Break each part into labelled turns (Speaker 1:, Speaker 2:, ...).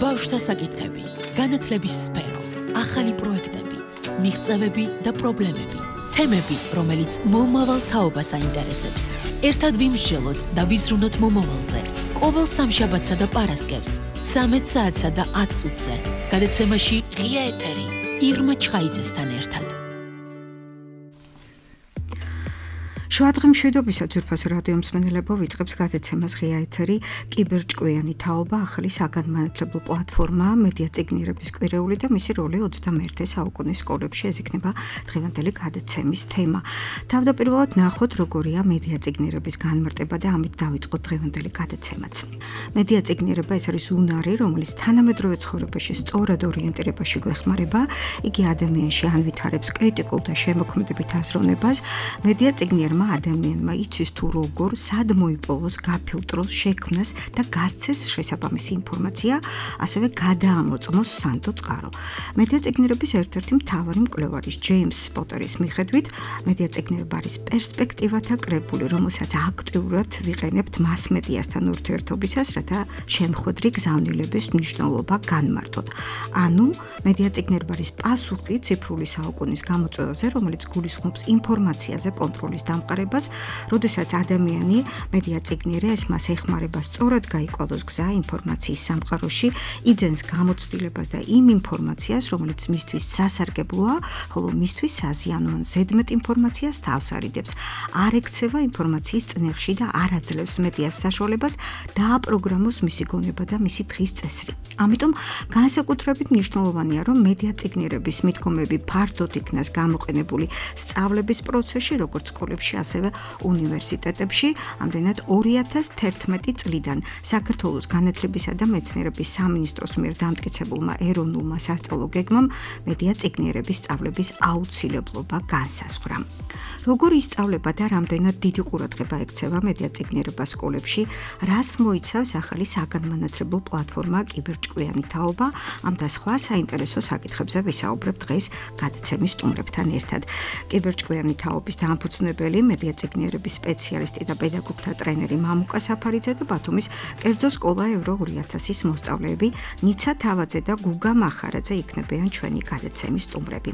Speaker 1: ბავშვთა საკითხები, განათლების სფერო, ახალი პროექტები, მიღწევები და პრობლემები, თემები, რომელიც მომავალ თაობას აინტერესებს. ერთად ვიმსჯელოთ და ვიზრუნოთ მომავალზე. ყოველ სამშაბათსა და პარასკევს, 13 საათსა და 10 წუთზე, გადაცემაში ღია ეთერი, ირმა ჩხაიძესთან ერთად.
Speaker 2: შუადღე მშვიდობისა ძვირფას რადიო მსმენელებო, ვიწყებთ გადაცემას ღია ეთერი, კიბერჭკვიანი თაობა, ახალი საგანმანათლებლო პლატფორმა, მედია წიგნიერების კვირეული და მისი როლი 21 საუკუნის სკოლებში, ეს იქნება დღევანდელი გადაცემის თემა. თავდაპირველად ნახოთ, როგორია მედია წიგნიერების განმარტება და ამით დავიწყოთ დღევანდელი გადაცემაც. მედია წიგნიერება ეს არის უნარი, რომელიც თანამედროვე ცხოვრებაში სწორად ორიენტირებაში გვეხმარება, იგი ადამიანში ანვითარებს კრიტიკულ და შემოქმედებით აზროვნებას. მედია წიგნიერმა ადამიანმა იცის თუ როგორ, სად მოიპოვოს, გაფილტროს, შექმნას და გასცეს შესაბამისი ინფორმაცია, ასევე გადაამოწმოს სანდო წყარო. მედია წიგნიერების ერთ-ერთი მთავარი მკვლევარის ჯეიმს პოტერის მიხედვით, მედია წიგნიერება არის პერსპექტივათა კრებული, რომელსაც აქტიურად ვიყენებთ მასმედიასთან ურთიერთობისას, რათა შემხვედრი გზავნილების მნიშვნელობა განმარტოთ. ანუ, მედია წიგნიერება არის პასუხი ციფრული საუკუნის გამოწვევაზე, რომელიც გულისხმობს ინფორმაციაზე კონტროლის დამყარებას, როდესაც ადამიანი მედია წიგნიერია ეს მას ეხმარება სწორად გაიკვალოს გზა ინფორმაციის სამყაროში, იძენს გამოცდილებას და იმ ინფორმაციას, რომელიც მისთვის სასარგებლოა, ხოლო მისთვის საზიანო ან ზედმეტ ინფორმაციას თავს არიდებს. არ ექცევა ინფორმაციის წნეხში და არ აძლევს მედიას საშუალებას დააპროგრამოს მისი გონება და მისი დღის წესრი. ამიტომ განსაკუთრებით მნიშვნელოვანია, რომ მედია წიგნიერების მიდგომები ფართოდ იქნას გამოყენებული სწავლების პროცესში, როგორც სკოლებში, ასევე უნივერსიტეტებში. ამდენად 2011 წლიდან საქართველოს განათლებისა და მეცნიერების სამინისტროს მიერ დამტკიცებულმა ეროვნულმა სასწავლო გეგმამ მედია წიგნიერების სწავლების აუცილებლობა განსაზღვრა. როგორ ისწავლება და რამდენად დიდი ყურადღება ექცევა მედია წიგნიერება სკოლებში, რას მოიცავს ახალი საგანმანათლებლო პლატფორმა კიბერჭკვიანი თაობა, ამ და სხვა საინტერესო საკითხებზე ვისაუბრებ დღეს გადაცემის სტუმრებთან ერთად. კიბერჭკვიანი თაობის დამფუძნებელი მედია წიგნიერების სპეციალისტი და პედაგოგთა ტრენერი მამუკა საფარიძე და ბათუმის კერძო სკოლა ევრო 2000-ის მოსწავლეები ნიცა თავაძე და გუგა მახარაძე იქნებიან ჩვენი გადაცემის სტუმრები.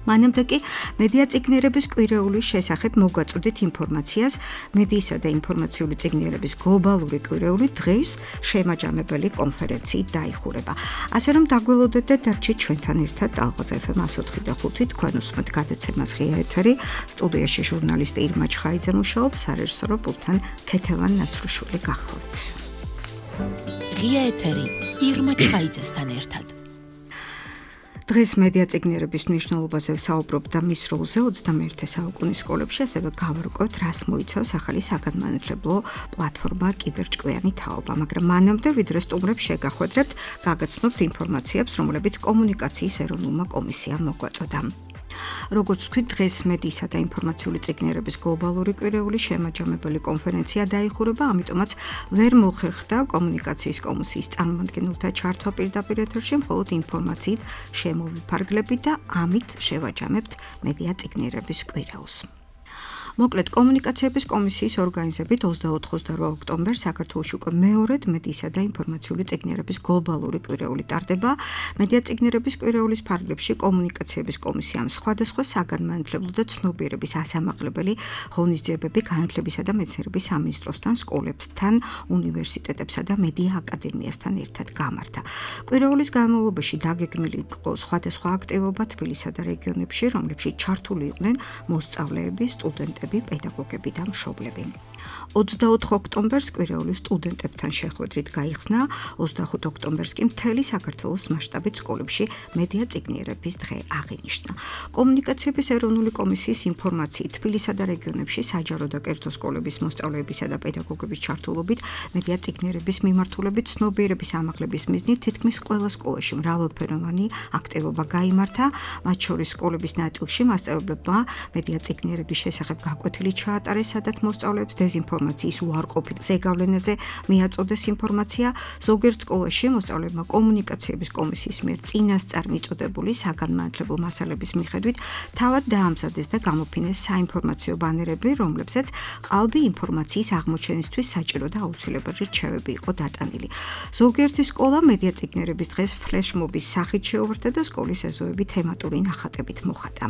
Speaker 2: მანამდე კი მედია წიგნიერების კვირეულის შესახებ მოგვაწოდეთ ინფორმაციას. მედიისა და ინფორმაციული წიგნიერების გლობალური კვირეული დღეს შემაჯამებელი კონფერენციით დაიხურება. ასე რომ დაგველოდეთ და დარჩით ჩვენთან ერთად ტალღაზე FM 104.5 თქვენ უსმენთ გადაცემას ღია ეთერი. სტუდიაში ჟურნალისტი ირმა ჩხაიძე მუშაობს, სარეჟისორო პულტთან ქეთევან ნაცრუშვილი გახლავთ.
Speaker 1: ღია ეთერი ირმა ჩხაიძესთან ერთად.
Speaker 2: დღეს მედია წიგნიერების მნიშვნელობაზე ვსაუბრობ და მის როლზე 21 საუკუნის სკოლებში, ასევე გავარკვევთ, რას მოიცავს ახალი საგანმანათლებლო პლატფორმა კიბერჭკვიანი თაობა. მაგრამ მანამდე, ვიდრე სტუმრებს შეგახვედრებთ, გაგაცნობთ ინფორმაციებს, რომლებიც კომუნიკაციის ეროვნულმა კომისიამ მოგვაწოდა. როგორც ვთქვით, დღეს მედიისა და ინფორმაციული წიგნიერების გლობალური კვირეული შემაჯამებელი კონფერენცია დაიხურება, ამიტომაც ვერ მოხერხდა კომუნიკაციის კომისიის წარმომადგენელთა ჩართვა პირდაპირ ეთერში, მხოლოდ ინფორმაციით შემოვიფარგლებით და ამით შევაჯამებთ მედია წიგნიერების კვირეულს. მოკლედ, კომუნიკაციების კომისიის ორგანიზებით 24-28 ოქტომბერს საქართველოში უკვე მეორედ მედიისა და ინფორმაციული წიგნიერების გლობალური კვირეული ტარდება. მედია წიგნიერების კვირეულის ფარგლებში კომუნიკაციების კომისიამ სხვადასხვა საგანმანათლებლო და ცნობიერების ასამაღლებელი ღონისძიებები განათლებისა და მეცნიერების სამინისტროსთან, სკოლებთან, უნივერსიტეტებსა და მედია აკადემიასთან ერთად გამართა. კვირეულის განმავლობაში დაგეგმილი იყო სხვადასხვა აქტივობა თბილისსა და რეგიონებში, რომლებშიც ჩართული იყვნენ მოსწავლეები, სტუდენტები, პედაგოგები და მშობლები. 24 ოქტომბერს კვირეულის სტუდენტებთან შეხვედრით გაიხსნა, 25 ოქტომბერს კი მთელი საქართველოს მასშტაბით სკოლებში მედია წიგნიერების დღე აღინიშნა. კომუნიკაციების ეროვნული კომისიის ინფორმაციით თბილისსა და რეგიონებში საჯარო და კერძო სკოლების მოსწავლეებისა და პედაგოგების ჩართულობით მედია წიგნიერების მიმართულებით ცნობიერების ამაღლების მიზნით თითქმის ყველა სკოლაში მრავალფეროვანი აქტივობა გაიმართა, მათ შორის სკოლების ნაწილში მასწავლებლებმა მედია წიგნიერების შესახებ გაკვეთილი ჩაატარეს, სადაც მოსწავლეებს დეზინფორმაციის უარყოფით ზეგავლენაზე მიაწოდეს ინფორმაცია. ზოგიერთ სკოლაში მოსწავლეებმა კომუნიკაციების კომისიის მიერ წინასწარ მიწოდებული საგანმანათლებლო მასალების მიხედვით თავად დაამზადეს და გამოფინეს საინფორმაციო ბანერები, რომლებსაც ყალბი ინფორმაციის აღმოჩენისთვის საჭირო და აუცილებელი რჩევები იყო დატანილი. ზოგიერთი სკოლა მედია წიგნერების დღეს ფლეშმობის სახით შეუერთდა და სკოლის ეზოები თემატური ნახატებით მოხატა.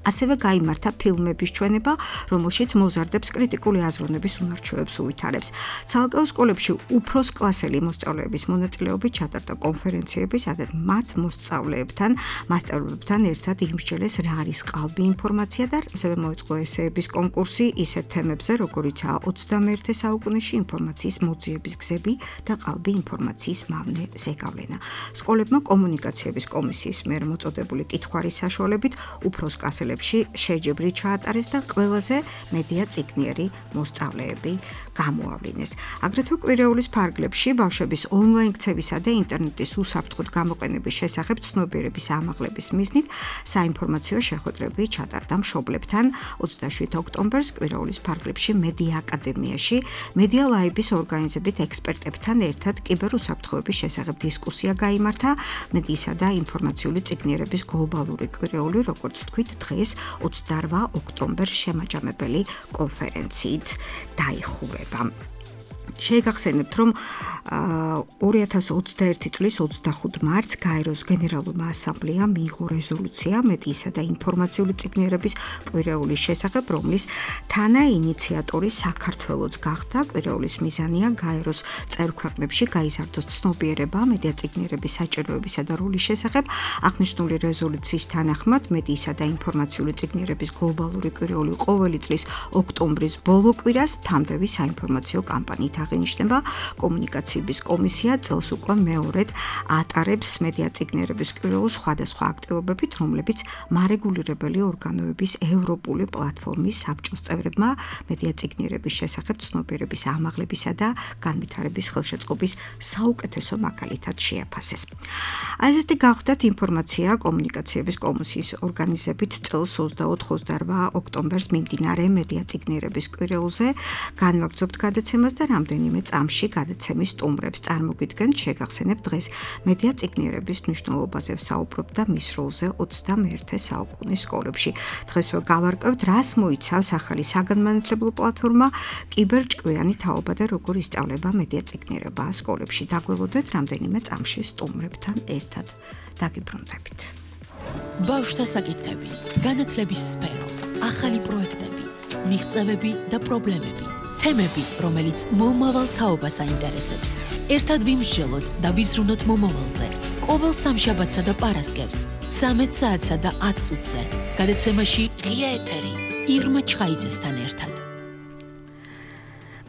Speaker 2: ასევე გაიმართა ფილმების ჩვენება, რომელშიც მოზარდებს კრიტიკული აზროვნების უნარჩვევებს უვითარებს. ცალკეულ სკოლებში უფროს კლასელი მოსწავლეების მონაწილეობით ჩატარდა კონფერენციები, სადაც მათ მოსწავლეებთან, მასწავლებლებთან ერთად იმსჯელეს რა არის ყალბი ინფორმაცია და ასევე მოეწყო ესეების კონკურსი ისეთ თემებზე, როგორიცაა 21 საუკუნეში ინფორმაციის მოძიების გზები და ყალბი ინფორმაციის მავნე ზეგავლენა. სკოლებმა კომუნიკაციების კომისიის მიერ მოწოდებული კითხვარის საშუალებით უფროს კლასელებში შეჯიბრი ჩაატარეს და ყველაზე მედია წიგნიერი მოსწავლეები გამოავლინეს. აგრეთვე კვირეულის ფარგლებში ბავშვების ონლაინ ქცევისა და ინტერნეტის უსაფრთხოდ გამოყენების შესახებ ცნობიერების ამაღლების მიზნით საინფორმაციო შეხვედრები ჩატარდა მშობლებთან 27 ოქტომბერს კვირეულის ფარგლებში მედია აკადემიაში მედია ლაიბის ორგანიზებით ექსპერტებთან ერთად კიბერუსაფრთხოების შესახებ დისკუსია გაიმართა მედიისა და ინფორმაციული წიგნიერების გლობალური კვირეული, როგორც ვთქვით, დღეს 28 ოქტომბერს შემაჯამებელი კონფერენციით დაიხურება. შეგახსენებთ, რომ 2021 წლის 25 მარტს გაეროს გენერალურმა ასამბლეამ მიიღო რეზოლუცია მედიისა და ინფორმაციული წიგნიერების კვირეულის შესახებ, რომლის თანაინიციატორი საქართველოც გახდა. კვირეულის მიზანია გაეროს წევრ ქვეყნებში გაიზარდოს ცნობიერება მედია წიგნიერების საჭიროებისა და როლის შესახებ. აღნიშნული რეზოლუციის თანახმად მედიისა და ინფორმაციული წიგნიერების გლობალური კვირეული ყოველი წლის ოქტომბრის ბოლო კვირას თამდევი საინფორმაციო კამპანიით აღინიშნება. კომუნიკაციების კომისია წელს უკვე მეორედ ატარებს მედია წიგნიერების კვირეულს სხვადასხვა აქტივობებით, რომლებიც მარეგულირებელი ორგანოების ევროპული პლატფორმის საბჭოს წევრებმა მედია წიგნიერების შესახებ ცნობიერების ამაღლებისა და განვითარების ხელშეწყობის საუკეთესო მაგალითად შეაფასეს. ასეთი გახდათ ინფორმაცია კომუნიკაციების კომისიის ორგანიზებით წელს 24-28 ოქტომბერს მიმდინარე მედია წიგნიერების კვირეულზე. განვაგრძობთ გადაცემას და რამდენიმე წამში გადაცემის სტუმრებს წარმოგიდგენთ. შეგახსენებთ, დღეს მედია წიგნიერების მნიშვნელობაზე ვსაუბრობ და მის როლზე 21 საუკუნის სკოლებში. დღესვე გავარკვევთ, რას მოიცავს ახალი საგანმანათლებლო პლატფორმა კიბერჭკვიანი თაობა და როგორ ისწავლება მედია წიგნიერება სკოლებში. დაგველოდეთ რამდენიმე წამში სტუმრებთან ერთად. დაგიბრუნდებით.
Speaker 1: ბავშვთა საკითხები, განათლების სფერო, ახალი პროექტები, მიღწევები და პრობლემები. თემები, რომელიც მომავალ თაობას აინტერესებს. ერთად ვიმსჯელოთ და ვიზრუნოთ მომავალზე. ყოველ სამშაბათსა და პარასკევს 13 საათსა და 10 წუთზე. გადაცემაში ღია ეთერი ირმა ჩხაიძესთან ერთად.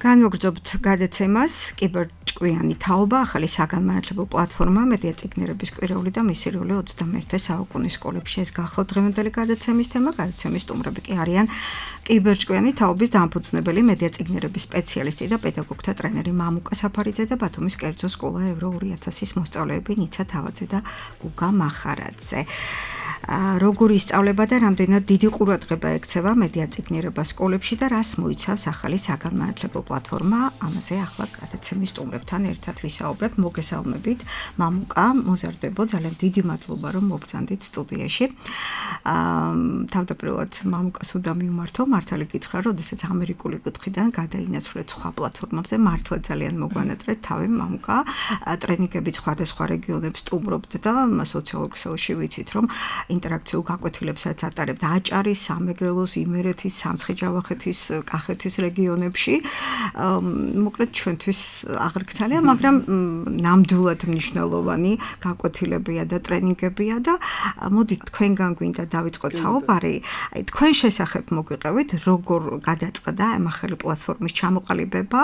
Speaker 2: განვაგრძობთ გადაცემას კიბერჭკვიანი თაობა, ახალი საგანმანათლებლო პლატფორმა მედია წიგნიერების კვირეული და მისი როლი 21 საუკუნის სკოლებში. ეს გახლავთ დღევანდელი გადაცემის თემა. გადაცემის სტუმრები კი არიან კიბერჭკვიანი თაობის დამფუძნებელი მედია წიგნიერების სპეციალისტი და პედაგოგთა ტრენერი მამუკა საფარიძე და ბათუმის კერძო სკოლა ევრო 2000-ის მოსწავლეები ნიცა თავაძე და გუგა მახარაძე. როგორი ისწავლება და რამდენად დიდი ყურადღება ექცევა მედია წიგნიერება სკოლებში და რას მოიცავს ახალი საგანმანათლებლო პლატფორმა. ამაზე ახლა გადაცემის სტუმრებთან ერთად ვისაუბრებთ. მოგესალმებით, მამუკა, მოზარდებო, ძალიან დიდი მადლობა, რომ მობრძანდით სტუდიაში. თავდაპირველად მამუკას უნდა მივმართო, მართალი გითხრა, როდესაც ამერიკული კუთხიდან გადაინაცვლეთ სხვა პლატფორმებზე, მართლა ძალიან მოგვანატრეთ თავი მამუკა. ტრენინგებით სხვადასხვა რეგიონებს სტუმრობთ და სოციალურ ქსელში ვიცით, რომ ინტერაქციულ გაკვეთილებსაც ატარებთ აჭარის, სამეგრელოს, იმერეთის, სამცხე-ჯავახეთის, კახეთის რეგიონებში. მოკლედ ჩვენთვის აღრგცალია, მაგრამ ნამდვილად მნიშვნელოვანი გაკვეთილებია და ტრენინგებია და მოდით თქვენგან გვინდა დავიწყოთ საუბარი. თქვენ შესახებ მოგვიყევით, როგორ გადაწყდა ამ ახალი პლატფორმის ჩამოყალიბება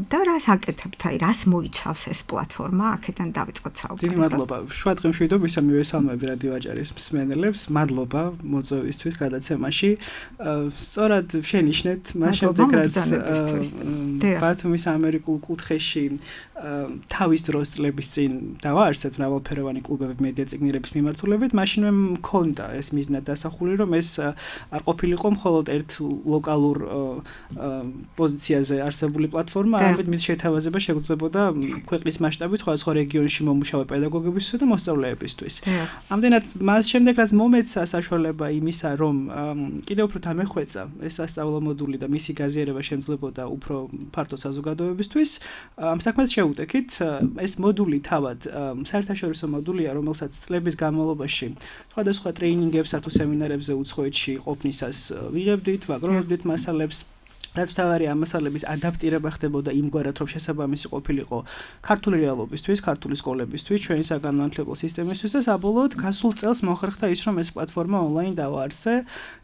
Speaker 2: და რას აკეთებთ, რას მოიცავს ეს პლატფორმა, აქედან დავიწყოთ საუბარი.
Speaker 3: დიდი მადლობა. შუა დღემშვიდობისა მივესალმები რადიო აჭარის არის მსმენელებს. მადლობა მოწვევისთვის გადაცემაში. სწორად შენიშნეთ მას შემდეგ რაც ბათუმის ამერიკულ კუთხეში თავის დროს წლების წინ დავაარსეთ მრავალფეროვანი კლუბები მედია წიგნირების მიმართულებით, მაშინვე მქონდა ეს მიზნად დასახული, რომ ეს არ ყოფილიყო მხოლოდ ერთ ლოკალურ პოზიციაზე არსებული პლატფორმა, არამედ მის შეთავაზება შეგვიძლებოდა ქვეყნის მასშტაბით სხვადასხვა რეგიონში მომუშავე პედაგოგებისთვის და მოსწავლეებისთვის. ამდენად მას შემდეგ რაც მომეცა საშუალება იმისა, რომ კიდევ უფრო დამეხვეწა ეს სასწავლო მოდული და მისი გაზიარება შემძლებოდა უფრო ფართო საზოგადოებისთვის, ამ საქმეს შევუტექით. ეს მოდული თავად საერთაშორისო მოდულია, რომელსაც წლების განმავლობაში სხვადასხვა ტრეინინგებსა თუ სემინარებზე უცხოეთში ყოფნისას ვიღებდით, ვაგროვებდით მასალებს. რაც თავარია მასალების ადაპტირება ხდებოდა იმგვარად, რომ შესაბამისი ყოფილიყო ქართული რეალობისთვის, ქართული სკოლებისთვის, ჩვენი საგანმანათლებლო სისტემისთვის და საბოლოოდ გასულ წელს მოხერხდა ის, რომ ეს პლატფორმა ონლაინ დავაარსე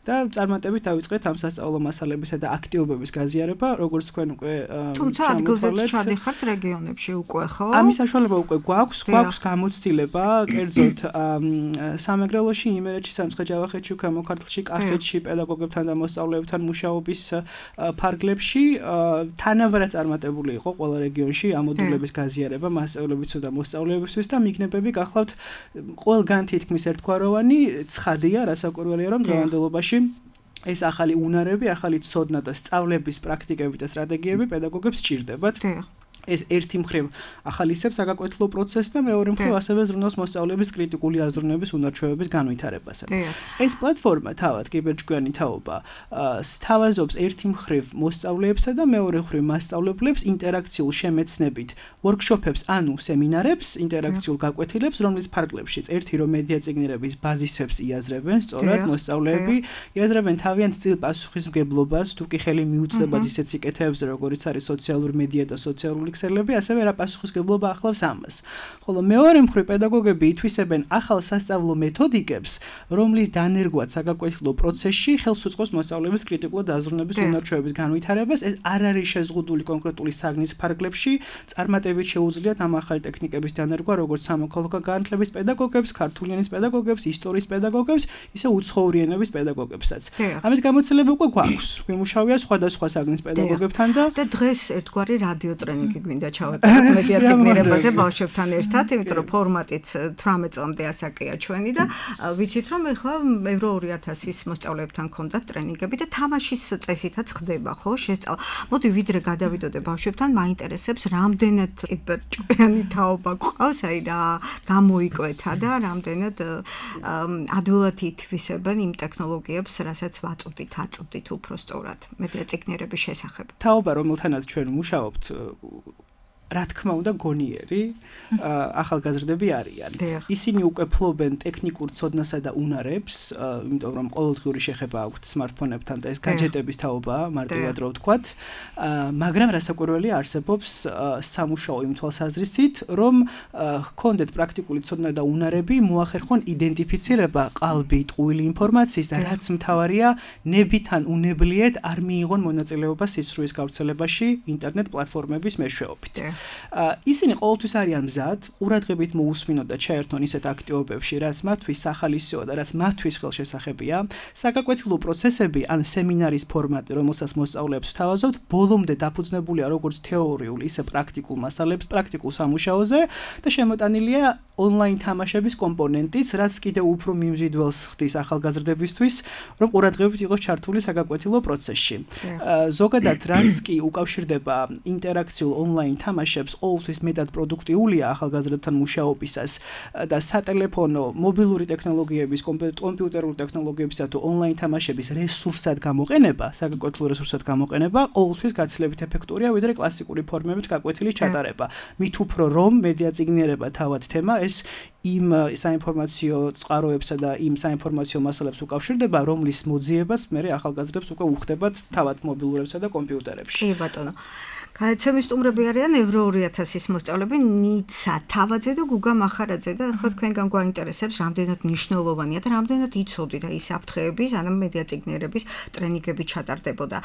Speaker 3: და წარმატებით დავიწყეთ ამ სასწავლო მასალებისა და აქტივობების გაზიარება, როგორც თქვენ უკვე
Speaker 2: თუმცა ადგილზეც ჩადიხართ რეგიონებში უკვე, ხო?
Speaker 3: ამის საშუალება უკვე გვაქვს გამოცდილება, კერძოდ სამეგრელოში, იმერეთში, სამცხე-ჯავახეთში, ქვემო ქართლში, კახეთში პედაგოგებთან და მოსწავლეებთან მუშაობის ფარგლებში თანაბრად წარმატებული იყო ყველა რეგიონში ამ მოდულების გაზიარება მასწავლებლებისა და მოსწავლეებისთვის და მიგნებები გახლავთ ყველგან თითქმის ერთგვაროვანი, ცხადია, რასაკვირველია, რომ დღევანდელობაში ეს ახალი უნარები, ახალი ცოდნა და სწავლების პრაქტიკები და სტრატეგიები პედაგოგებს სჭირდებათ. ეს ერთი მხრივ ახალისებს საგაკვეთილო პროცესს და მეორე მხრივ ასევე ზრუნავს მოსწავლეების კრიტიკული აზროვნების უნარჩვევების განვითარებასა. ეს პლატფორმა თავად კიბერჭკვიანი თაობა სთავაზობს ერთი მხრივ მოსწავლეებსა და მეორე მხრივ მასწავლებლებს ინტერაქციულ შემეცნებით ვორქშოპებს ანუ სემინარებს, ინტერაქციულ გაკვეთილებს, რომლის ფარგლებშიც ერთი რომ მედია წიგნირების ბაზისებს იაზრებენ, სწორად მოსწავლეები იაზრებენ თავიანთ წილ პასუხისმგებლობას, თუ კი ხელი მიუწვდებათ ისეთ სიკეთეებზე, როგორიც არის სოციალური მედია და სოციალური ქსელები, ასევე რა პასუხისმგებლობა ახლავს ამას. ხოლო მეორე მხრივ პედაგოგები ითვისებენ ახალ სასწავლო მეთოდიკებს, რომლის დანერგვაც საგაკვეთილო პროცესში ხელს უწყობს მოსწავლეების კრიტიკული დაზრუნების უნარჩვევების განვითარებას. ეს არ არის შეზღუდული კონკრეტული საგნის ფარგლებში, წარმატებით შეუძლიათ ამ ახალი ტექნიკების დანერგვა, როგორც სამოქალაქო განათლების პედაგოგებს, ქართული ენის პედაგოგებს, ისტორიის პედაგოგებს, ისე უცხოური ენების პედაგოგებსაც. ამის გამოცდილება უკვე გვაქვს. ვიმუშავია სხვადასხვა საგნის პედაგოგებთან
Speaker 2: და დღეს ერთგვარი რადიო ტრენინგი მინდა ჩავატაროთ მედია წიგნირებაზე ბავშვებთან ერთად, იმიტომ რომ ფორმატიც 18 წლამდე ასაკია ჩვენი და ვიცით რომ ეხლა Euro 2000-ის მოსწავლეებთან ქონდათ ტრენინგები და თამაშის წესითაც ხდება, ხო, შესწავლა. მოდი ვიდრე გადავიდოდე ბავშვებთან, მაინტერესებს რამდენად კიბერჭკვიანი თაობა გვყავს, აი რა გამოიკვეთა და რამდენად ადვილად ითვისებენ იმ ტექნოლოგიებს, რასაც აწვდით უფრო სწორად მედია წიგნირების შესახებ.
Speaker 3: თაობა, რომელთანაც ჩვენ მუშაობთ, რა თქმა უნდა გონიერი ახალგაზრდები არიან. ისინი უკვე ფლობენ ტექნიკურ ცოდნასა და უნარებს, იმიტომ რომ ყოველდღიური შეხება აქვთ smartphone-ებთან და ეს gadget-ების თაობაა, მარტივად რო ვთქვათ, მაგრამ რასაკვირველია არსებობს სამუშაო იმ თვალსაზრისით, რომ ჰქონდეთ პრაქტიკული ცოდნა და უნარები, მოახერხონ იდენტიფიცირება ყალბი ტყუილი ინფორმაციის და რაც მთავარია, ნებიდან უნებლიეთ არ მიიღონ მონაწილეობა სიცრუის გავრცელებაში ინტერნეტ პლატფორმების მეშვეობით. ისინი ყოველთვის არიან მზად, ყურადღებით მოусმინოთ და ჩაერთონ ისეთ აქტივობებში, რაც მათთვის სახალისოა და რაც მათთვის ხელშესახებია. საგაკვეთილო პროცესები ან სემინარის ფორმატი, რომელსაც მოსწავლეებს ვთავაზობთ, ბოლომდე დაფუძნებულია როგორც თეორიულ, ისე პრაქტიკულ მასალებს, პრაქტიკულ სამუშაოზე და შემოტანილია ონლაინ თამაშების კომპონენტიც, რაც კიდევ უფრო მიმზიდველს ხდის ახალგაზრდებისთვის, რომ ყურადღებით იყოს ჩართული საგაკვეთილო პროცესში. ზოგადად, რაც კი უკავშირდება ინტერაქციულ ონლაინ თამაშებს, ყოველთვის მეტად პროდუქტიულია ახალგაზრდებთან მუშაობისას და სატელეფონო, მობილური ტექნოლოგიების, კომპიუტერული ტექნოლოგიებისა თუ ონლაინ თამაშების რესურსად გამოყენება, საგაკვეთილო რესურსად გამოყენება, ყოველთვის გაცილებით ეფექტურია, ვიდრე კლასიკური ფორმებით გაკვეთილის ჩატარება. მით უფრო რომ მედია წიგნიერება თავად თემა ეს იმ საინფორმაციო წყაროებსა და იმ საინფორმაციო მასალებს უკავშირდება, რომლის მოძიებას მე ახალგაზრდებს უკვე უხდებათ თავად მობილურებსა და კომპიუტერებში.
Speaker 2: კი ბატონო. გადაცემის სტუმრები არიან Evro 2000-ის მოსწავლეები ნიცა თავაძე და გუგა მახარაძე და ახლა თქვენგან გვაინტერესებს რამდენად მნიშვნელოვანია და რამდენად იცოდი და ის აფრთხეების, ანუ მედია წიგნიერების ტრენინგები ჩატარდებოდა.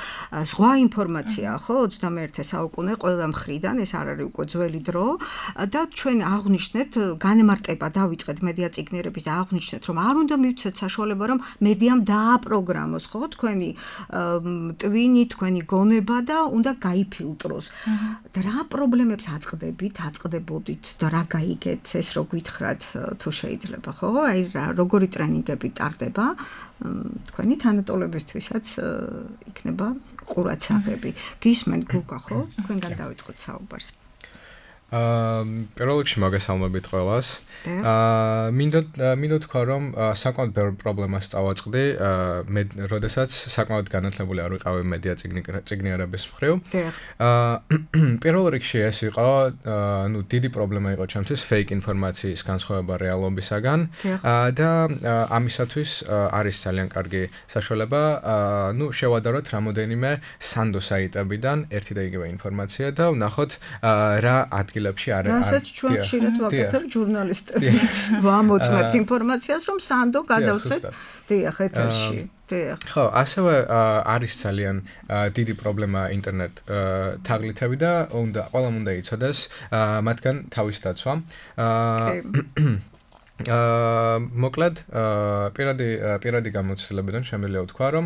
Speaker 2: ზღვა ინფორმაცია, ხო, 21 საუკუნე ყველა მხრიდან, ეს არ არის უკვე ძველი დრო და ჩვენ აღვნიშნეთ განმარტება დავიწყეთ მედია წიგნიერების და აღვნიშნეთ რომ არ უნდა მივცეთ საშუალება რომ მედიამ დააპროგრამოს, ხო, თქვენი ტვინი, თქვენი გონება და უნდა გაიფილტროს. და რა პრობლემებს აწყდებოდით და რა გაიგეთ, ეს რო გითხრათ თუ შეიძლება, ხო? აი როგორი ტრენინგები ტარდება თქვენი თანატოლებისთვისაც იქნება ყურაცაღები. გისმენთ გუგა, ხო? თქვენგან დავიწყოთ საუბარს.
Speaker 4: პირველ რიგში მოგესალმებით ყველას. მინდო თქვა რომ საკმაოდ ბევრ პრობლემას წავაწყდი, მე როდესაც საკმაოდ განათლებული არ ვიყავი მედია წიგნიერების მხრივ. პირველ რიგში ეს იყო, დიდი პრობლემა იყო ჩემთვის fake ინფორმაციის განსხვავება რეალობისაგან და ამისათვის არის ძალიან კარგი საშუალება, შევადაროთ რამოდენიმე სანდო საიტებიდან ერთი და იგივე ინფორმაცია და ვნახოთ რა ადგილებში არის.
Speaker 2: რასაც ჩვენ ხშირად ვაკეთებ ჟურნალისტებიც. ვამოწმებთ ინფორმაციას, რომ სანდო გადავცეთ დიახ ეთერში.
Speaker 4: ხო, ასევე არის ძალიან დიდი პრობლემა ინტერნეტ თაღლითები და ყველამ უნდა იცოდეს მათგან თავის დაცვა. მოკლედ პირადი გამოცდილებიდან შემიძლია ვთქვა, რომ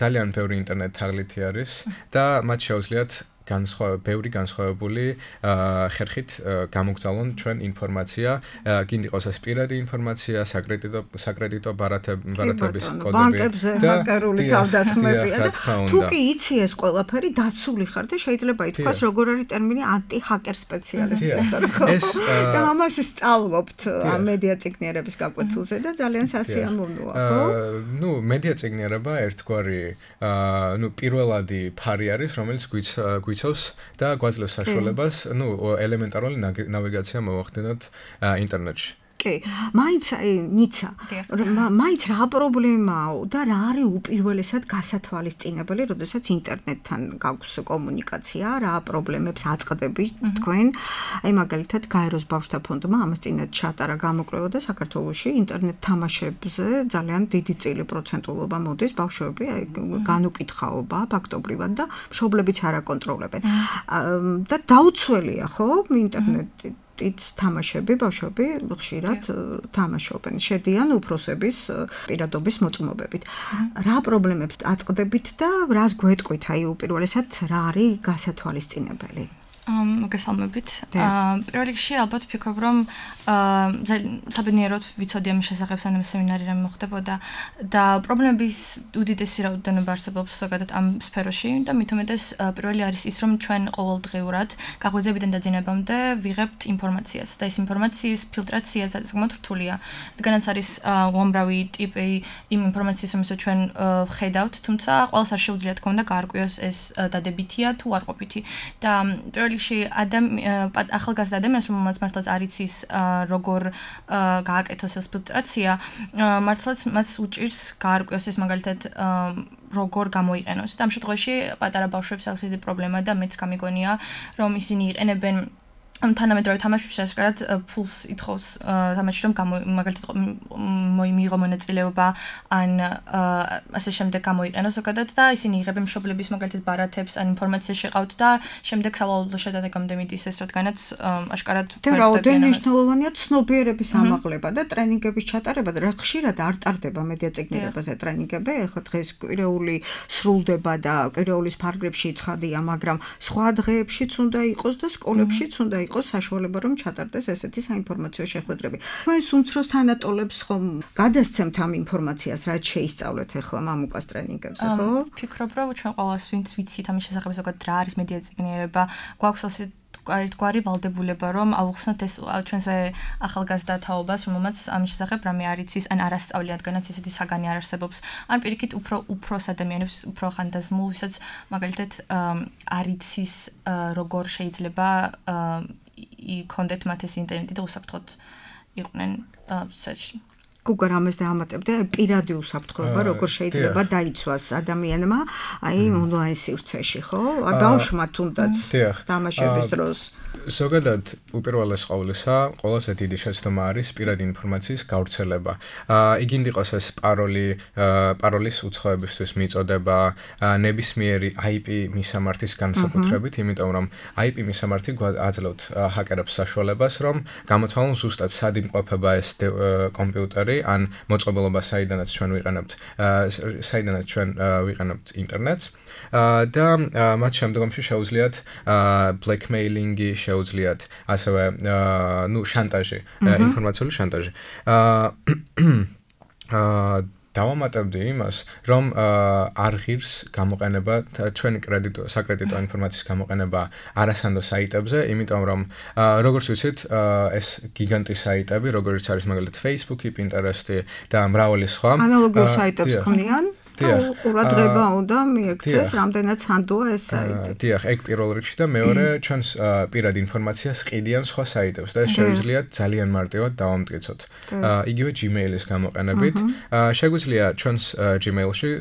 Speaker 4: ძალიან ბევრი ინტერნეტ თაღლითი არის და მათ შეუძლიათ ბევრი განსხვავებული ხერხით გამოგზავნონ ჩვენ ინფორმაცია, გინდ იყოს ეს პირადი ინფორმაცია, საკრედიტო ბარათების კოდები
Speaker 2: ბანკებზე ჰაკერული თავდასხმებია და თუ კი იცი ეს ყველაფერი დაცული ხარ და შეიძლება ითქვას როგორ არის ტერმინი ანტი-ჰაკერ სპეციალისტი. და ამას სწავლობთ ამ მედია წიგნიერების გაკვეთილზე და ძალიან სასიამოვნოა, ხო?
Speaker 4: მედია წიგნიერება ერთგვარი პირველადი ფარი არის, რომელიც და გვაძლევს საშუალებას, ელემენტარული ნავიგაცია მოვახდინოთ ინტერნეტში.
Speaker 2: კი, მაინც ნიცა. მაინც რა პრობლემაა და რა არის უპირველესად გასათვალისწინებელი, როდესაც ინტერნეტთან გაქვს კომუნიკაცია, რა პრობლემებს აწყდებით თქვენ? აი მაგალითად, გაეროს ბავშვთა ფონდმა ამას წინათ ჩატარა გამოკვლევა და საქართველოში ინტერნეტ თამაშებზე ძალიან დიდი წილი პროცენტულობა მოდის, ბავშვები განუკითხაობა ფაქტობრივად და მშობლებიც არ აკონტროლებენ. და დაუცველია, ხო, ინტერნეტი თამაშები, ბავშვები ხშირად თამაშობენ, შედიან უფროსების პირადობის მოწმობებით. რა პრობლემებს აწყდებით და რას გვეტყვით, აი უპირველესად რა არის გასათვალისწინებელი?
Speaker 5: მოგესალმებით. პირველ რიგში ალბათ ვფიქრობ, რომ საბედნიეროდ ვიცოდი ამის შესახებ, სანამ სემინარი რამე მოხდებოდა და პრობლემების უდიდესი რაოდენობა არსებობს ზოგადად ამ სფეროში და მით უმეტეს პირველი არის ის, რომ ჩვენ ყოველდღიურად გაღვიძებიდან დაძინებამდე ვიღებთ ინფორმაციას და ეს ინფორმაციის ფილტრაცია საკმაოდ რთულია. რადგანაც არის უამრავი ტიპი იმ ინფორმაციის, რომელსაც ჩვენ ვხედავთ, თუმცა ყველას არ შეუძლია თქმა უნდა გაარკვიოს ეს დადებითია თუ არ ყოფითი. და პირველ რიგში ახალგაზრდა ადამიანს, რომელმაც მართლაც არ იცის როგორ გააკეთოს ეს ფილტრაცია, მართლაც მას უჭირს გაარკვიოს ეს მაგალითად როგორ გამოიყენოს. და ამ შემთხვევაში პატარა ბავშვებს აქვს დიდი პრობლემა და მეც გამიგონია, რომ ისინი იყენებენ თანამედროვე თამაშში შესაძლოა ფულს ითხოვს თამაში რომ მაგალითად მიიღო მონაწილეობა ან ასე შემდეგ გამოიყენოს ზოგადად და ისინი იღებენ მშობლების მაგალითად ბარათებს ან ინფორმაციას შეყავთ და შემდეგ სავალალო შედეგამდე მიდის ეს რადგანაც აშკარად
Speaker 2: რაოდენ მნიშვნელოვანია ცნობიერების ამაღლება და ტრენინგების ჩატარება და რა ხშირად არ ტარდება მედია წიგნიერებაზე ტრენინგები, ახლა დღეს კვირეული სრულდება და კვირეულის ფარგლებში ცხადია, მაგრამ სხვა დღეებშიც უნდა იყოს და სკოლებშიც უნდა იყოს საშუალება რომ ჩატარდეს ესეთი საინფორმაციო შეხვედრები. თქვენს უმცროს თანატოლებს ხომ გადასცემთ ამ ინფორმაციას, რაც შეისწავლეთ ახლა მამუკას ტრენინგებზე, ხო?
Speaker 5: ვფიქრობ, რომ ჩვენ ყველას ვინც ვიცით ამის შესახებ ზოგადად რა არის მედია წიგნიერება, გვაქვს ასე ერთგვარი ვალდებულება, რომ ავუხსნათ ეს ჩვენზე ახალგაზრდა თაობას, რომელმაც ამის შესახებ რამე არ იცის, ან არ ასწავლია, რადგანაც ესეთი საგანი არ არსებობს. ან პირიქით უფროს ადამიანებს, უფრო ხანდაზმულ, ვისაც მაგალითად არ იცის როგორ შეიძლება იქონდეთ მათ ეს ინტერნეტი და უსაფრთხოდ იყვნენ საერთოდ.
Speaker 2: გუგა რამეს დაამატებდა, პირადი უსაფრთხოება, როგორ შეიძლება დაიცვას ადამიანმა, აი ონლაინ სივრცეში, ხო? ბავშვმა თუნდაც თამაშების დროს.
Speaker 4: ზოგადად უპირველეს ყოვლისა, ყველაზე დიდი შეცდომა არის პირადი ინფორმაციის გავრცელება. იგივე იყოს ეს პაროლის უცხოებისთვის მიწოდება, ნებისმიერი IP მისამართის განსაკუთრებით, იმიტომ რომ IP მისამართი აძლევთ ჰაკერებს საშუალებას, რომ გამოთვალონ ზუსტად სად იმყოფება ეს კომპიუტერი, ან მოწყობილობა საიდანაც ჩვენ ვიყენებთ ინტერნეტს. და მათ შემდგომში შეუძლიათ blackmailing-ი, შეუძლიათ ასევე შანტაჟი, ინფორმაციული შანტაჟი. დავამატებდი იმას, რომ არ ღირს გამოყენება ჩვენი საკრედიტო ინფორმაციის გამოყენება არასანდო საიტებზე, იმიტომ რომ როგორც ვიცით, ეს გიგანტი საიტები, როგორც არის მაგალითად Facebook-ი, Pinterest-ი და მრავალი სხვა.
Speaker 2: ანალოგიურ საიტებს ქმნიან? ყურადღება უნდა მიექცეს, რამდენად სანდოა ეს საიტი.
Speaker 4: დიახ, ეგ პირველ რიგში და მეორე ჩვენს პირად ინფორმაციას ყიდიან სხვა საიტებს და ეს შეუძლიათ ძალიან მარტივად დავამტკიცოთ. იგივე Gmail-ის გამოყენებით, შეგვიძლია ჩვენს Gmail-ში,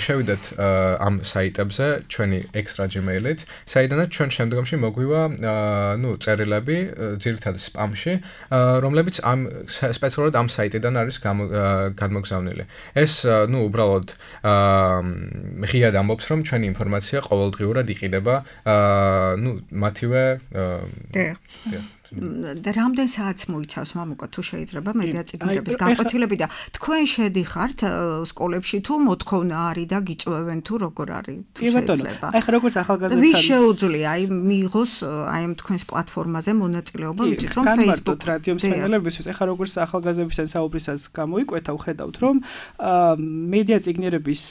Speaker 4: შევიდეთ ამ საიტებზე ჩვენი extra Gmail-ით, საიდანაც ჩვენ შემდგომში მოგვივა, წერილები ძირითადად spam-ში, რომლებიც სპეციალურად ამ საიტიდან არის გადმოგზავნილი. ეს უბრალოდ ღიად ამბობს, რომ ჩვენი ინფორმაცია ყოველდღიურად იყიდება, მათივე
Speaker 2: და რამდენ საათს მოიცავს მამუკა თუ შეიძლება მედია წიგნების განყოფილება და თქვენ შედიხართ სკოლებში თუ მოთხოვნა არის და გიწვევენ თუ როგორ არის თუ შეიძლება.
Speaker 3: აი ხა როგორც ახალგაზრდებს
Speaker 2: ვის შეუძლია აი მიიღოს აი ამ თქვენს პლატფორმაზე მონაწილეობა, ვიცით რომ Facebook
Speaker 3: რადიო მსმენელებისთვის აი ხა როგორც ახალგაზრდებთან საუბრისას გამოიკვეთა, ვხედავთ რომ მედია წიგნიერების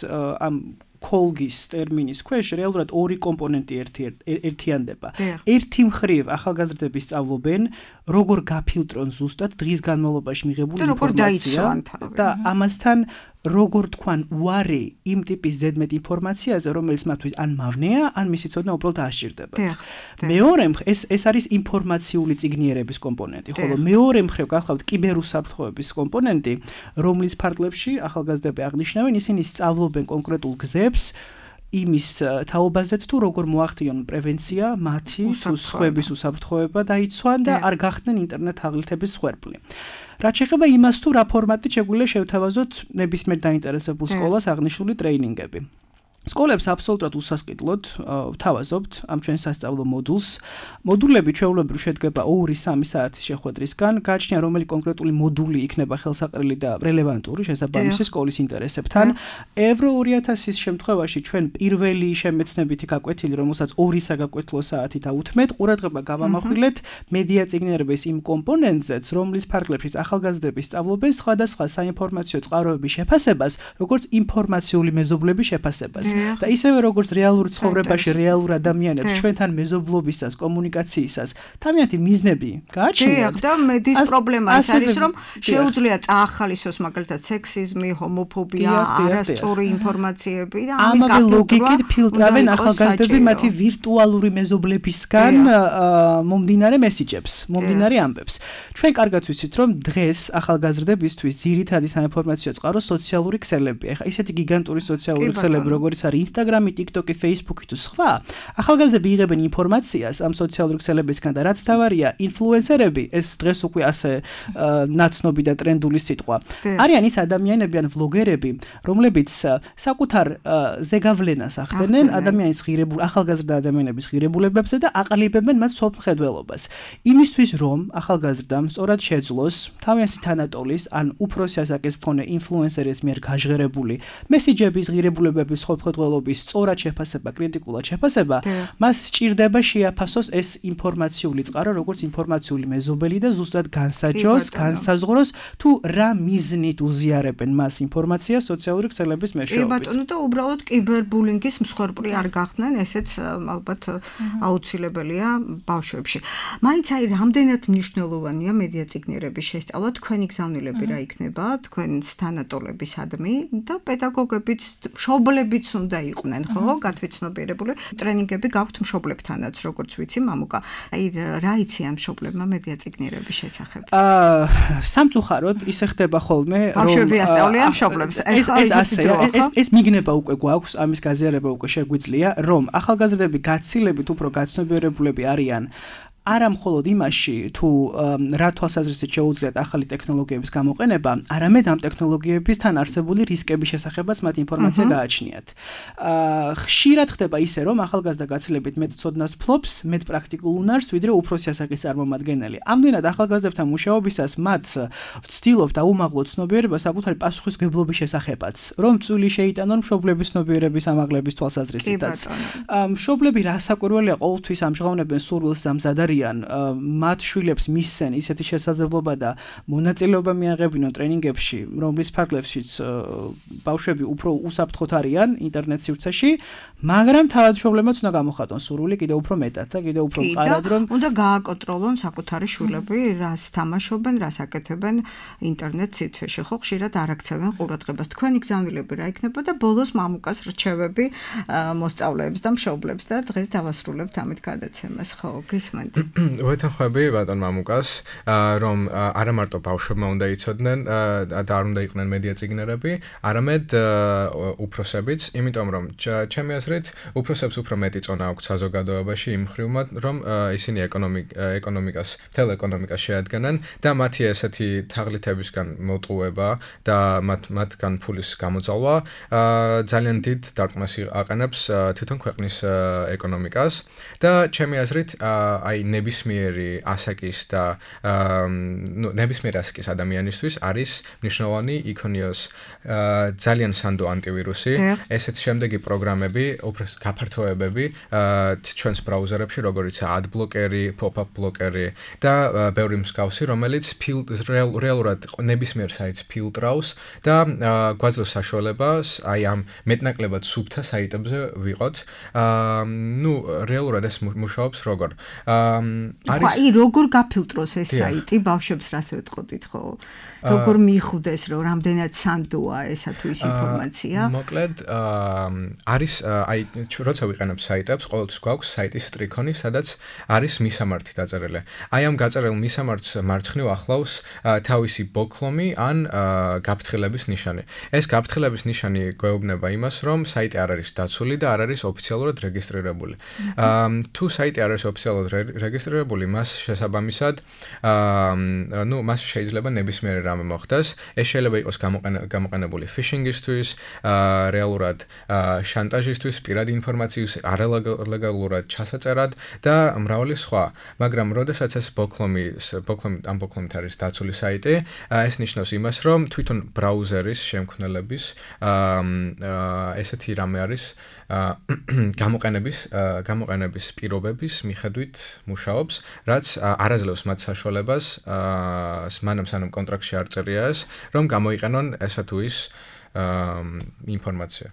Speaker 3: ამ კოლგის ტერმინის ქვეშ რეალურად ორი კომპონენტი ერთიანდება. ერთი მხრივ ახალგაზრდები სწავლობენ, როგორ გაფილტრონ ზუსტად დღის განმავლობაში მიღებული ინფორმაცია და ამასთან როგორ თქვან უარი იმ ტიპის ზედმეტ ინფორმაციაზე, რომელიც მათთვის ან მავნეა, ან მისი ცოდნა უბრალოდ აღჭირდებათ. მეორე მხრივ ეს არის ინფორმაციული წიგნიერების კომპონენტი, ხოლო მეორე მხრივ გახლავთ კიბერუსაფრთხოების კომპონენტი, რომლის ფარგლებში ახალგაზრდები აღნიშნავენ, ისინი სწავლობენ კონკრეტულ გზებს იმის თაობაზე თუ როგორ მოახდინონ პრევენცია მათი თუ სხვების უსაფრთხოება დაიცვან და არ გახდნენ ინტერნეტ აღლითების მსხვერპლი. რაც შეეხება იმას თუ რა ფორმატით შეგვიძლია შევთავაზოთ ნებისმიერ დაინტერესებულ სკოლას აღნიშნული ტრეინინგები. სკოლებს აბსოლუტურად უსასყიდლოდ ვთავაზობთ ამ ჩვენ სასწავლო მოდულს. მოდულები ჩვეულებრივ შედგება 2-3 საათის შეხვედრისგან. გააჩნია რომელი კონკრეტული მოდული იქნება ხელსაყრელი და რელევანტური შესაბამისი სკოლის ინტერესებთან. Euro 2000-ის შემთხვევაში ჩვენ პირველი შემეცნებითი გაკვეთილი, რომელსაც 2 საგაკვეთილო საათი დაუთმეთ, ყურადღება გავამახვილეთ მედია წიგნიერების იმ კომპონენტზეც, რომლის ფარგლებშიც ახალგაზრდები სწავლობენ სხვადასხვა საინფორმაციო წყაროების შეფასებას, როგორც ინფორმაციული მეზობლების შეფასებას. და ისევე როგორც რეალურ ცხოვრებაში რეალურ ადამიანებს ჩვენთან მეზობლობისას, კომუნიკაციისას თავიანთი მიზნები გააჩნიათ.
Speaker 2: და მედის პრობლემა არის, რომ შეუძლია წაახალისოს მაგალითად სექსიზმი, ჰომოფობია, არასწორი ინფორმაციები და ამის
Speaker 3: გაფილტრება ლოგიკით ფილტრავენ ახალგაზრდები მათი ვირტუალური მეზობლებისგან მომდინარე მესიჯებს, მომდინარე ამბებს. ჩვენ კარგად ვიცით, რომ დღეს ახალგაზრდებისთვის ძირითადი საინფორმაციო წყარო სოციალური ქსელებია. ეხლა ისეთი გიგანტური სოციალური ქსელები, როგორც არის Instagram-ი, TikTok-ი, Facebook-ი თუ სხვა, ახალგაზრდები იღებენ ინფორმაციას ამ სოციალური ქსელებისგან და რაც მთავარია, ინფლუენსერები, ეს დღეს უკვე ასე ნაცნობი და ტრენდული სიტყვა. არიან ის ადამიანები ან ვლოგერები, რომლებიც საკუთარ ზეგავლენას ახდენენ ადამიანის ახალგაზრდა ადამიანების ღირებულებებზე და აყალიბებენ მათ სოფლმხედველობას. იმისთვის რომ ახალგაზრდამ სწორად შეძლოს თავიანთი თანატოლის ან უფროსი ასაკის მქონე ინფლუენსერის მიერ გაჟღერებული მესიჯების ღირებულებების სოფლმხედველობის სწორად შეფასება, კრიტიკულად შეფასება, მას სჭირდება შეაფასოს ეს ინფორმაციული წყარო, როგორც ინფორმაციული მეზობელი და ზუსტად განსაჯოს, განსაზღვროს თუ რა მიზნით უზიარებენ მას ინფორმაციას სოციალური ქსელების მეშვეობით.
Speaker 2: კი ბატონო, და უბრალოდ კიბერბულინგის მსხვერპლი არ გახდნენ, ესეც ალბათ აუცილებელია ბავშვებში. მაინც აი რამდენად მნიშვნელოვანია მედია წიგნიერების შესწავლა, თქვენი გზავნილები რა იქნება, თქვენს თანატოლებისადმი და პედაგოგებიც, მშობლებიც უნდა იყვნენ, ხო, გადაცნობიერებული. ტრენინგები გაქვთ მშობლებთანაც, როგორც ვიცი, მამუკა. აი რა იცი ამ მშობლებმა მედია წიგნიერების შესახებ?
Speaker 3: სამწუხაროდ ისე ხდება ხოლმე,
Speaker 2: რომ ბავშვები ასწავლიან მშობლებს.
Speaker 3: ეს მიგნება უკვე გვაქვს, ამის გაზიარება უკვე შეგვიძლია, რომ ახალგაზრდები გაცილებით უფრო გაცნობიერებულები არიან არა მხოლოდ იმაში, თუ რა თვალსაზრისით შეუძლიათ ახალი ტექნოლოგიების გამოყენება, არამედ ამ ტექნოლოგიებისთან არსებული რისკების შესახებაც მათ ინფორმაცია გააჩნიათ. ხშირად ხდება ისე, რომ ახალგაზრდა გაცილებით მეტ ცოდნას ფლობს, მეტ პრაქტიკულ უნარს, ვიდრე უფროსი ასაკის წარმომადგენელი. ამდენად ახალგაზრდებთან მუშაობისას მათ ვცდილობთ აუმაღლოთ ცნობიერება საკუთარი პასუხისმგებლობის შესახებაც, რომ წვლილი შეიტანონ მშობლების ცნობიერების ამაღლების თვალსაზრისითაც. მშობლები რასაკვირველია ყოველთვის ამჟღავნებენ სურვილს და მზად მათ შვილებს მისცენ ისეთი შესაძლებლობა და მონაწილეობა მიაღებინონ ტრენინგებში, რომლის ფარგლებშიც ბავშვები უფრო უსაფრთხოდ არიან ინტერნეტ სივრცეში, მაგრამ თავად მშობლებმაც უნდა გამოხატონ სურვილი კიდევ უფრო მეტად და კიდევ უფრო მყარად, რომ
Speaker 2: უნდა გააკონტროლონ საკუთარი შვილები, რას თამაშობენ, რას აკეთებენ ინტერნეტ სივრცეში, ხო, ხშირად არ აქცევენ ყურადღებას. თქვენი გზავნილები რა იქნება და ბოლოს მამუკას რჩევები მოსწავლეებს და მშობლებს და დღეს დავასრულებთ ამით გადაცემას, ხო, გისმენთ.
Speaker 4: ვეთანხმები ბატონ მამუკას, რომ არა მარტო ბავშვებმა უნდა იცოდნენ და არ უნდა იყვნენ მედია წიგნიერები, არამედ უფროსებიც, იმიტომ რომ ჩემი აზრით, უფროსებს უფრო მეტი წონა აქვთ საზოგადოებაში იმ მხრივ, რომ ისინი ეკონომიკას, მთელ ეკონომიკას შეადგენენ და მათი ესეთი თაღლითებისგან მოტყუება და მათგან ფულის გამოძალვა ძალიან დიდ დარტყმას აყენებს თვითონ ქვეყნის ეკონომიკას და ჩემი აზრით, აი ნებისმიერი ასაკის და ნებისმიერი ასაკის ადამიანისთვის არის მნიშვნელოვანი იქონიოს ძალიან სანდო ანტივირუსი, ესეთ შემდეგი პროგრამები, უფრო გაფართოებები ჩვენს ბრაუზერებში, როგორიცაა adblocker-ი, pop-up blocker-ი და ბევრი მსგავსი, რომელიც რეალურად ნებისმიერ საიტს ფილტრავს და გვაძლევს საშუალებას აი ამ მეტნაკლებად სუფთა საიტებზე ვიყოთ. რეალურად ეს მუშაობს როგორ?
Speaker 2: აი როგორ გაფილტროს ეს საიტი ბავშვებს რას ვეთყოდით, ხო? როგორ მიხვდეს, რომ რამდენად სანდოა ესა თუ ის ინფორმაცია?
Speaker 4: მოკლედ არის აი როცა ვიყენებ საიტებს, ყოველთვის გვაქვს საიტის სტრიქონი, სადაც არის მისამართი დაწერილი. აი ამ გაწერილ მისამართს მარცხნივ ახლავს თავისი ბოქლომი ან გაფრთხილების ნიშანი. ეს გაფრთხილების ნიშანი გვეუბნება იმას, რომ საიტი არ არის დაცული და არ არის ოფიციალურად რეგისტრირებული. თუ საიტი არ არის ოფიციალურად რეგისტრირებული, მას შესაბამისად, მას შეიძლება ნებისმიერი რამე მოხდეს. ეს შეიძლება იყოს გამოყენებული phishing-ისთვის, რეალურად შანტაჟისთვის, პირადი ინფორმაციის არალეგალურად ჩასაწერად და მრავალი სხვა. მაგრამ როდესაც ეს ბოქლომით არის დაცული საიტი, ეს ნიშნავს იმას, რომ თვითონ ბრაუზერის შემქმნელების ესეთი რამე არის გამოყენების პირობების მიხედვით მუშაობს, რაც არაძლევს მათ საშუალებას სანამ კონტრაქტში არ წერია ეს, რომ გამოიყენონ ესა თუ ის ინფორმაცია.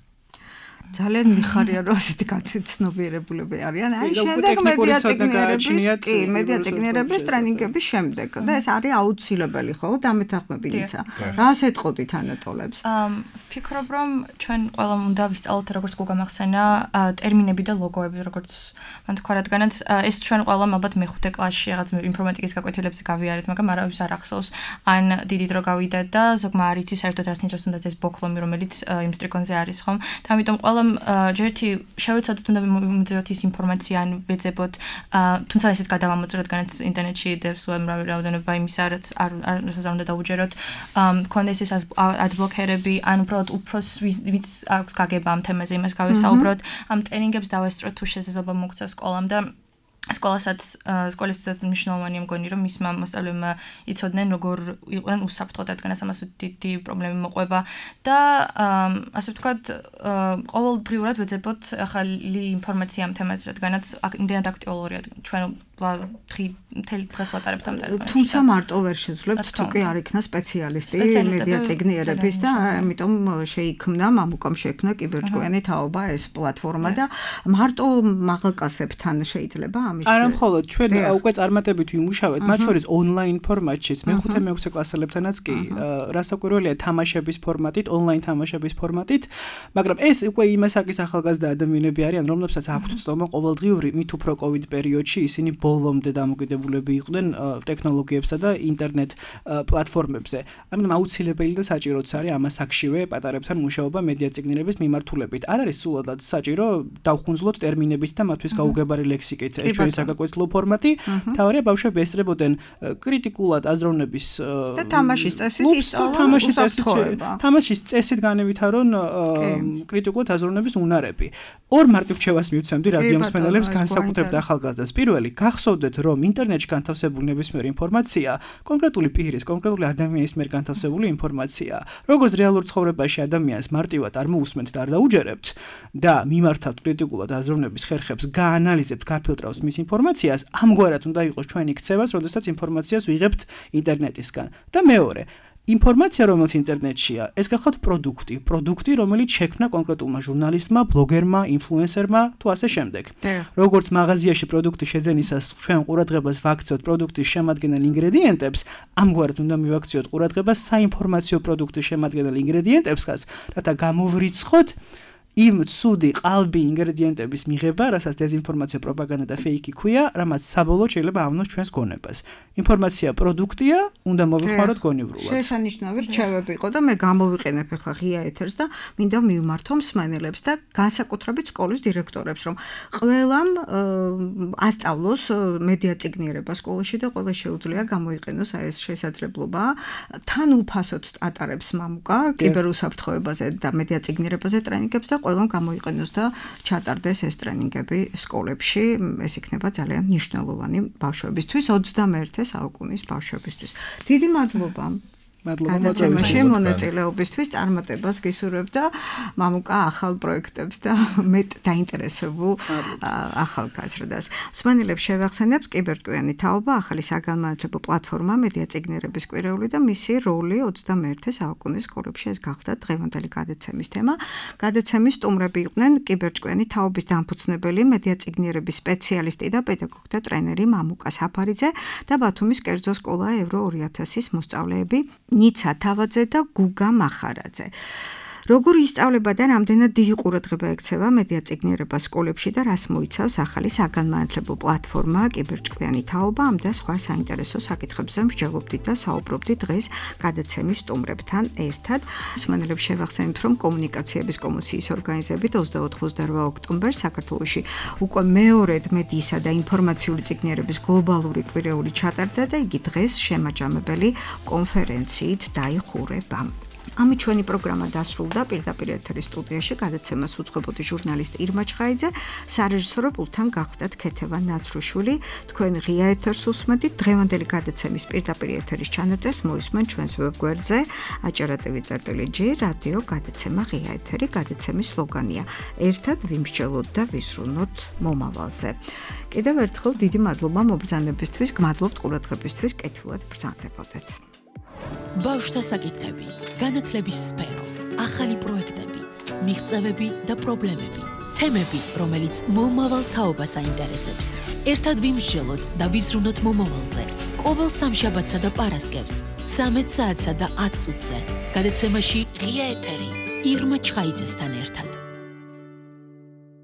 Speaker 2: ძალიან მიხარია, რომ ასეთი გაცნობიერებულები არიან. აი შემდეგ მედია წიგნიერების ტრენინგების შემდეგ და ეს არის აუცილებელი, ხო? დამეთანხმები ниცა. რას ეტყოდით ანატოლებს?
Speaker 5: ვფიქრობ, რომ ჩვენ ყველამ უნდა ვისწავლოთ, როგორც გოგამახსენა, ტერმინები და ლოგოები, როგორც მან თქვა, რადგანაც ეს ჩვენ ყველამ ალბათ მეხუთე კლასში რაღაც ინფორმატიკის გაკვეთილებზე გავიარეთ, მაგრამ არავის არ ახსოვს, ან დიდი დრო გავიდა და ზოგმა არ იცის საერთოდ რას ნიშნავს თუნდაც ეს ბოქლომი, რომელიც იმ სტრიქონზე არის, ხომ? და ამიტომ ჯერთი შევეცადოთ უნდა მივუძიოთ ის ინფორმაცია ან ვეძებოთ, თუმცა ესეც გადავამოწროთ, რადგანაც ინტერნეტში დევს უამრავი რაოდენობა იმისა, რაც არ უნდა დაუჯეროთ, მქონდეს ეს ადბლოკერები, ან უბრალოდ უფროს ვიც აქვს გაგება ამ თემაზე, იმას გავესაუბროთ, ამ ტრენინგებს დავესწროთ თუ შესაძლებლობა მოგცა სკოლამ და სკოლისთვისაც მნიშვნელოვანია მგონი, რომ მისმა მოსწავლეებმა იცოდნენ, როგორ იყვნენ უსაფრთხოდ, რადგანაც ამას დიდი პრობლემები მოყვება და ასე ვთქვათ, ყოველდღიურად ვეძებოთ ახალი ინფორმაცია ამ თემაზე, რადგანაც იმდენად აქტუალურია ჩვენ მთელი დღეს ვატარებთ ამ ტელეფონში.
Speaker 2: თუმცა მარტო ვერ შეძლებთ თუ კი არ იქნა სპეციალისტი მედია წიგნიერების და ამიტომ შეიქმნა მამუკამ შექმნა კიბერჭკვიანი თაობა ეს პლატფორმა და მარტო მაღალკლასებთან შეიძლება ამის
Speaker 3: არა მხოლოდ ჩვენ უკვე წარმატებით ვიმუშავეთ მათ შორის ონლაინ ფორმატშიც მე-5 მე-6 კლასელებთანაც კი რასაკვირველია თამაშების ფორმატით ონლაინ თამაშების ფორმატით მაგრამ ეს უკვე იმასაკის ახალგაზრდა ადამიანები არიან რომლებსაც აქვთ ცნობა ყოველდღიური მით უფრო კოვიდ პერიოდში ისინი ბოლომდე დამოკიდებულები იყვნენ ტექნოლოგიებსა და ინტერნეტ პლატფორმებზე. ამიტომ აუცილებელი და საჭიროც არის ამას აქშივე პატარებთან მუშაობა მედია წიგნიერების მიმართულებით. არ არის სულადად საჭირო დავხუნძლოთ ტერმინებით და მათთვის გაუგებარი ლექსიკით ეს ჩვენი საგაკვეთილო ფორმატი. თავარია ბავშვები ესწრებოდნენ კრიტიკულად აზროვნების
Speaker 2: და თამაშის წესით ისწავლა
Speaker 3: თამაშის წესით განევითარონ კრიტიკულად აზროვნების უნარები. ორ მარტივ რჩევას მივცემდი რადიო მსმენელებს განსაკუთრებით ახალგაზრდას. პირველი, გახსოვდეთ, რომ ინტერნეტში განთავსებული ნებისმიერი ინფორმაცია კონკრეტული პირის, კონკრეტული ადამიანის მიერ განთავსებული ინფორმაციაა. როგორც რეალურ ცხოვრებაში ადამიანს მარტივად არ მოусმენთ და არ დაუჯერებთ და მიმართავთ კრიტიკულად აზროვნების ხერხებს, გაანალიზებთ, გაფილტრავს მის ინფორმაციას, ამგვარად უნდა იყოს ჩვენი ქცევაც, როდესაც ინფორმაციას ვიღებთ ინტერნეტისგან. და მეორე ინფორმაცია რომელიც ინტერნეტშია, ეს გახლავთ პროდუქტი, რომელიც შექმნა კონკრეტულმა ჟურნალისტმა, ბლოგერმა, ინფლუენსერმა თუ ასე შემდეგ. როგორც მაღაზიაში პროდუქტი შეძენისას ჩვენ ყურადღებას ვაქცევთ პროდუქტის შემადგენელ ინგრედიენტებს, ამგვარად უნდა მივაქციოთ ყურადღებას საინფორმაციო პროდუქტის შემადგენელ ინგრედიენტებსაც, რათა გამოვრიცხოთ იმ ცუდი ყალბი ინგრედიენტების მიღება, რასაც დეზინფორმაცია, პროპაგანდა და ფეიკი ქვია, რამაც საბოლოოდ შეიძლება ავნოს ჩვენს გონებას. ინფორმაცია პროდუქტია, უნდა მოვიხმაროთ გონივრულად.
Speaker 2: შესანიშნავი რჩევები იყო და მე გამოვიყენებ ახლა ღია ეთერს და მინდა მივმართო მსმენელებს და განსაკუთრებით სკოლის დირექტორებს, რომ ყველამ ასწავლოს მედია წიგნიერება სკოლაში და ყველა შეუძლია გამოიყენოს ეს შესაძლებლობა. თან უფასოდ ატარებს მამუკა კიბერუსაფრთხოებაზე და მედია წიგნიერებაზე ტრენინგებს და ყველამ გამოიყენოს და ჩატარდეს ეს ტრენინგები სკოლებში. ეს იქნება ძალიან მნიშვნელოვანი ბავშვებისთვის, 21 საუკუნის ბავშვებისთვის. დიდი მადლობა. გადაცემაში მონაწილეობისთვის წარმატებას გისურვებ და მამუკა ახალ პროექტებს და მეტ დაინტერესებულ ახალგაზრდას. მსმენელებს შევახსენებთ კიბერჭკვიანი თაობა, ახალი საგანმანათლებლო პლატფორმა მედია წიგნიერების კვირეული და მისი როლი 21 საუკუნის სკოლებში. ეს გახდა დღევანდელი გადაცემის თემა. გადაცემის სტუმრები იყვნენ კიბერჭკვიანი თაობის დამფუძნებელი, მედია წიგნიერების სპეციალისტი და პედაგოგთა ტრენერი მამუკა საფარიძე და ბათუმის კერძო სკოლა ევრო 2000-ის მოსწავლეები ნიცა თავაძე და გუგა მახარაძე. როგორი ისწავლება და რამდენად დიდი ყურადღება ექცევა მედია წიგნიერება სკოლებში და რას მოიცავს ახალი საგანმანათლებლო პლატფორმა კიბერჭკვიანი თაობა, ამ და სხვა საინტერესო საკითხებზე მსჯელობდით და საუბრობდით დღეს გადაცემის სტუმრებთან ერთად. მსმენელებს შევახსენებთ, რომ კომუნიკაციების კომისიის ორგანიზებით 24-28 ოქტომბერს საქართველოში უკვე მეორედ მედიისა და ინფორმაციული წიგნიერების გლობალური კვირეული ჩატარდა და იგი დღეს შემაჯამებელი კონფერენციით დაიხურება. ამით ჩვენი პროგრამა დასრულდა. პირდაპირ ეთერის სტუდიაში გადაცემას უძღვებოდი ჟურნალისტი ირმა ჩხაიძე, სარეჟისორო პულტთან გახდათ ქეთევან ნაცრუშვილი. თქვენ ღია ეთერს უსმენთ. დღევანდელი გადაცემის პირდაპირ ეთერის ჩანაწერს მოისმენ ჩვენს ვებგვერდზე ajarativi.g რადიო გადაცემა ღია ეთერი. გადაცემის სლოგანია: ერთად ვიმსჯელოთ და ვიზრუნოთ მომავალზე. კიდევ ერთხელ დიდი მადლობა მობრძანებისთვის, გმადლობთ ყურადღებისთვის, კეთილად ბრძანდებოდეთ.
Speaker 1: ბავშვთა საკითხები, განათლების სფერო, ახალი პროექტები, მიღწევები და პრობლემები, თემები, რომელიც მომავალ თაობას აინტერესებს. ერთად ვიმსჯელოთ და ვიზრუნოთ მომავალზე. ყოველ სამშაბათსა და პარასკევს, 13 საათსა და 10 წუთზე. გადაცემაში ღია ეთერი ირმა ჩხაიძესთან ერთად.